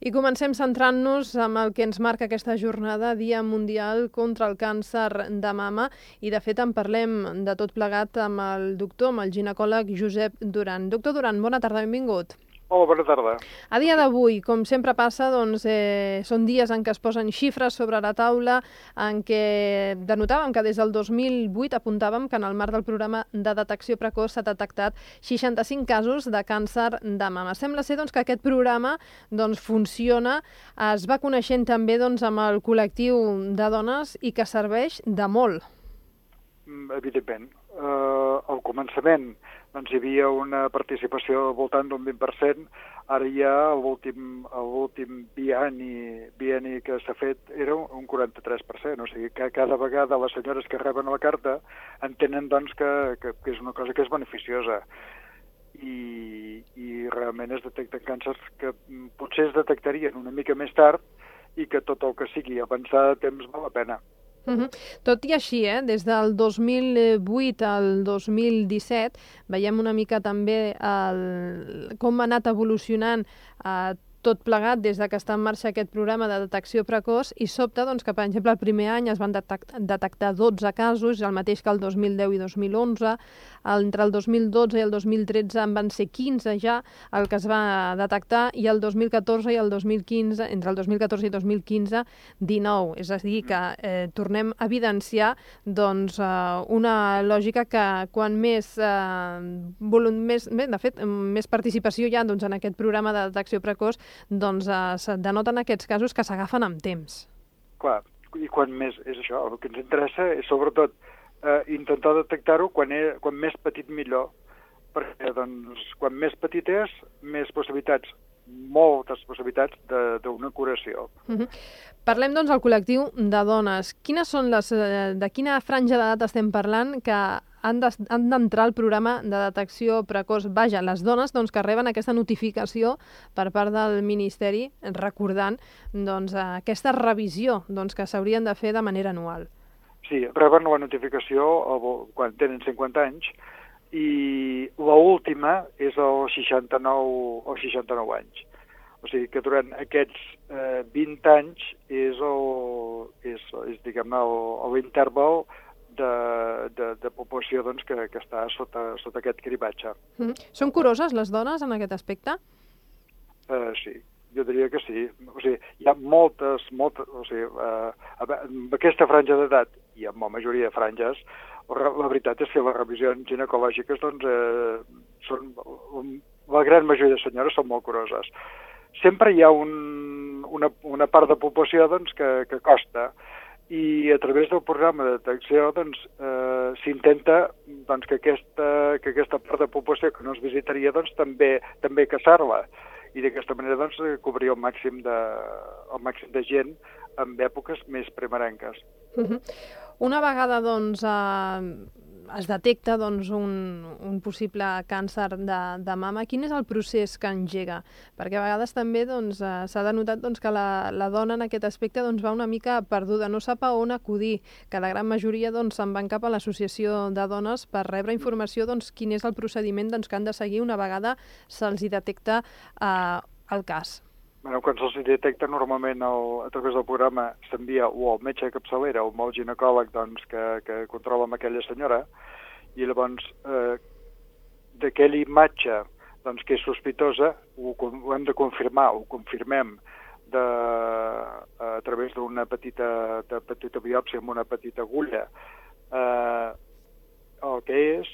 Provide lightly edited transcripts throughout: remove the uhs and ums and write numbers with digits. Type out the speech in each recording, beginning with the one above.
I comencem centrant-nos amb el que ens marca aquesta jornada, Dia Mundial contra el Càncer de Mama, i de fet en parlem de tot plegat amb el doctor, amb el ginecòleg Josep Duran. Doctor Duran, bona tarda, benvingut. Hola, bona tarda. A dia d'avui, com sempre passa, són dies en què es posen xifres sobre la taula, en què denotàvem que des del 2008 apuntàvem que en el marc del programa de detecció precoç s'ha detectat 65 casos de càncer de mama. Sembla ser que aquest programa funciona, es va coneixent també amb el col·lectiu de dones i que serveix de molt. Evidentment. Al començament hi havia una participació al voltant d'un 20%, ara ja l'últim bienni que s'ha fet era un 43%, o sigui que cada vegada les senyores que reben la carta entenen que és una cosa que és beneficiosa i realment es detecten càncers que potser es detectarien una mica més tard i que tot el que sigui avançar de temps val la pena. Tot i així, des del 2008 al 2017, veiem una mica també com ha anat evolucionant tot plegat des que està en marxa aquest programa de detecció precoç i sobta que, per exemple, el primer any es van detectar 12 casos, el mateix que el 2010 i 2011, entre el 2012 i el 2013 en van ser 15 ja el que es va detectar i el 2014 i el 2015, entre el 2014 i 2015, 19. És a dir, que tornem a evidenciar una lògica que quan més participació hi ha en aquest programa de detecció precoç, es denoten aquests casos que s'agafen amb temps. Clar, i quan més és això, el que ens interessa és sobretot intentar detectar-ho quan més petit millor, perquè quan més petit és, més possibilitats, moltes possibilitats d'una curació. Parlem del col·lectiu de dones. De quina franja d'edat estem parlant que han d'entrar al programa de detecció precoç? Vaja, les dones que reben aquesta notificació per part del Ministeri, recordant aquesta revisió que s'haurien de fer de manera anual. Sí, reben la notificació quan tenen 50 anys i l'última és als 69 anys. O sigui que durant aquests 20 anys és diguem-ne, l'interval de població que està sota aquest cribatge. Són curoses les dones en aquest aspecte? Sí, jo diria que sí. O sigui, hi ha moltes, o sigui, amb aquesta franja d'edat i amb la majoria de franges, la veritat és que les revisions ginecològiques són, la gran majoria de senyores són molt curoses. Sempre hi ha una part de població que costa i a través del programa de detecció s'intenta que aquesta part de població que no es visitaria també caçar-la i d'aquesta manera cobrir el màxim de gent en èpoques més primerenques. Una vegada es detecta un possible càncer de mama, quin és el procés que engega? Perquè a vegades també s'ha denotat que la dona en aquest aspecte va una mica perduda, no sap a on acudir, que la gran majoria se'n van cap a l'associació de dones per rebre informació quin és el procediment que han de seguir una vegada se'ls detecta el cas. Quan se'ls detecta, normalment a través del programa s'envia o al metge de capçalera o al ginecòleg que controla amb aquella senyora i llavors d'aquella imatge que és sospitosa ho hem de confirmar, ho confirmem a través d'una petita biòpsia amb una petita agulla el que és,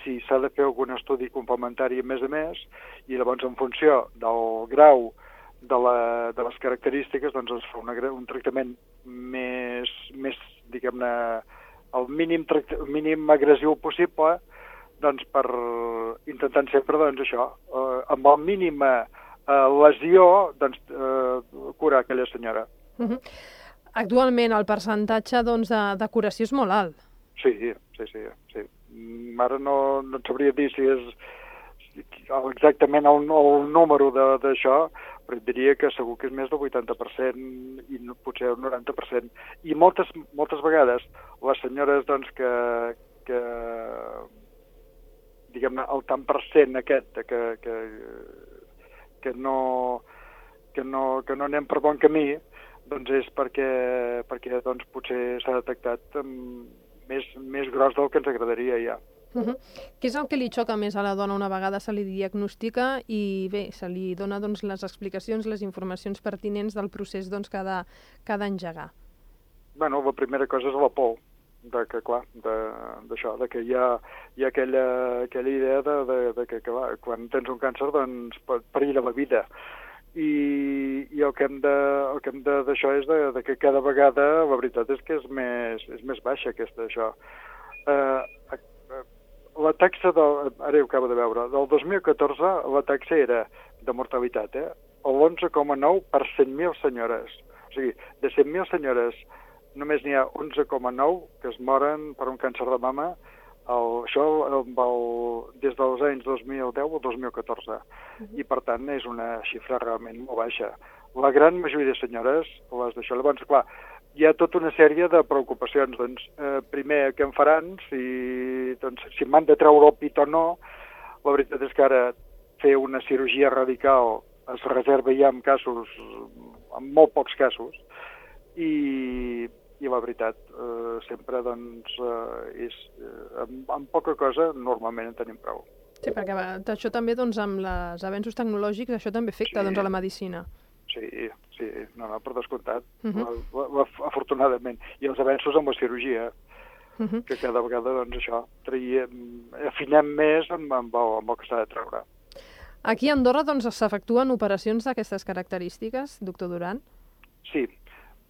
si s'ha de fer algun estudi complementari a més i llavors en funció del grau de les característiques es fa un tractament més diguem-ne, el mínim agressiu possible per intentant sempre això, amb la mínima lesió curar aquella senyora. Actualment el percentatge de curació és molt alt. Sí. Ara no et sabria dir si és exactament el número d'això, però et diria que segur que és més del 80% i potser el 90%. I moltes vegades les senyores que diguem-ne, el tant per cent aquest que que no anem per bon camí, doncs és perquè doncs, potser s'ha detectat més gros del que ens agradaria ja. Què és el que li xoca més a la dona una vegada se li diagnostica i bé, se li dona doncs, les explicacions, les informacions pertinents del procés doncs, que ha d'engegar? Bueno, la primera cosa és la por, que clar, d'això, que hi ha aquella idea de que clar, quan tens un càncer doncs pot perillar la vida. I el que hem de d'això és de que cada vegada la veritat és que és més baixa això. La taxa ara ho acabo de veure, del 2014 la taxa era de mortalitat, l'11,9 per 100.000 senyores. O sigui, de 100.000 senyores només n'hi ha 11,9 que es moren per un càncer de mama, això des dels anys 2010 al 2014. I, per tant, és una xifra realment molt baixa. La gran majoria de senyores, les d'això, llavors, clar, hi ha tota una sèrie de preocupacions. Doncs, primer, què em faran? Si m'han de treure el pit o no. La veritat és que ara fer una cirurgia radical es reserva ja en molt pocs casos. I la veritat, sempre doncs, amb poca cosa normalment en tenim prou. Sí, perquè això també, doncs, amb els avenços tecnològics, això també afecta doncs, a la medicina. Sí, no, per descomptat, afortunadament. I els avenços amb la cirurgia, que cada vegada, doncs, això, afinem més amb el que s'ha de treure. Aquí a Andorra, doncs, s'efectuen operacions d'aquestes característiques, doctor Duran? Sí,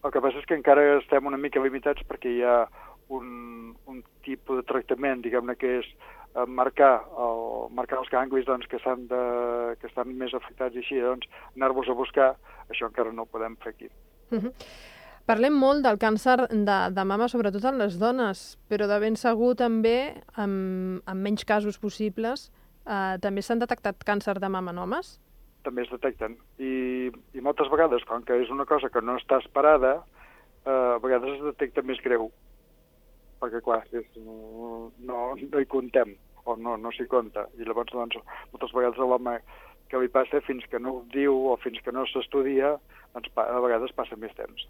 el que passa és que encara estem una mica limitats perquè hi ha un tipus de tractament, diguem-ne, que és marcar els ganglis doncs, que estan més afectats i així, doncs, anar-vos a buscar, això encara no ho podem fer aquí. Parlem molt del càncer de mama, sobretot en les dones, però de ben segur també, amb menys casos possibles, també s'han detectat càncer de mama en homes? També es detecten. I moltes vegades, com que és una cosa que no està esperada, a vegades es detecta més greu. Perquè, clar, no hi contem, o no s'hi compta. I llavors, doncs, moltes vegades a l'home que li passa, fins que no ho diu o fins que no s'estudia, doncs a vegades passa més temps.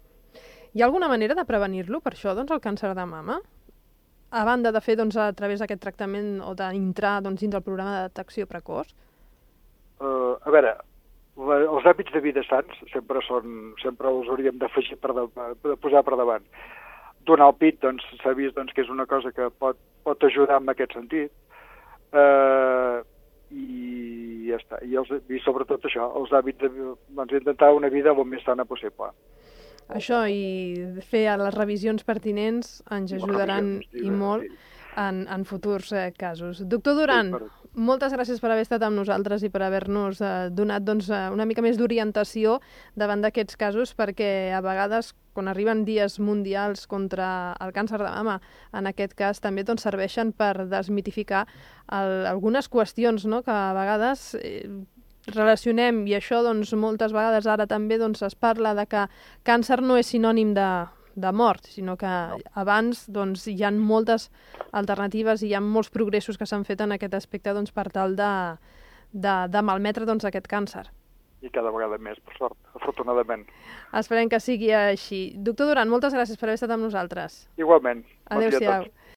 Hi ha alguna manera de prevenir-lo, per això, doncs, el càncer de mama? A banda de fer, doncs, a través d'aquest tractament o d'entrar dins del programa de detecció precoç? A veure, els hàbits de vida sants sempre els hauríem d'afegir de posar per davant. Donar el pit, doncs, s'ha vist doncs, que és una cosa que pot ajudar en aquest sentit. I ja està. I sobretot això, els hàbits intentar una vida el més sana possible. Això i fer les revisions pertinents ens ajudaran i molt en futurs casos. Doctor Duran, moltes gràcies per haver estat amb nosaltres i per haver-nos donat doncs, una mica més d'orientació davant d'aquests casos, perquè a vegades, quan arriben dies mundials contra el càncer de mama, en aquest cas també doncs, serveixen per desmitificar algunes qüestions, no?, que a vegades relacionem, i això doncs, moltes vegades ara també doncs, es parla de que càncer no és sinònim de mort, sinó que abans doncs, hi ha moltes alternatives i hi ha molts progressos que s'han fet en aquest aspecte doncs, per tal de malmetre doncs, aquest càncer. I cada vegada més, per sort, afortunadament. Esperem que sigui així. Doctor Duran, moltes gràcies per haver estat amb nosaltres. Igualment. Adéu-siau.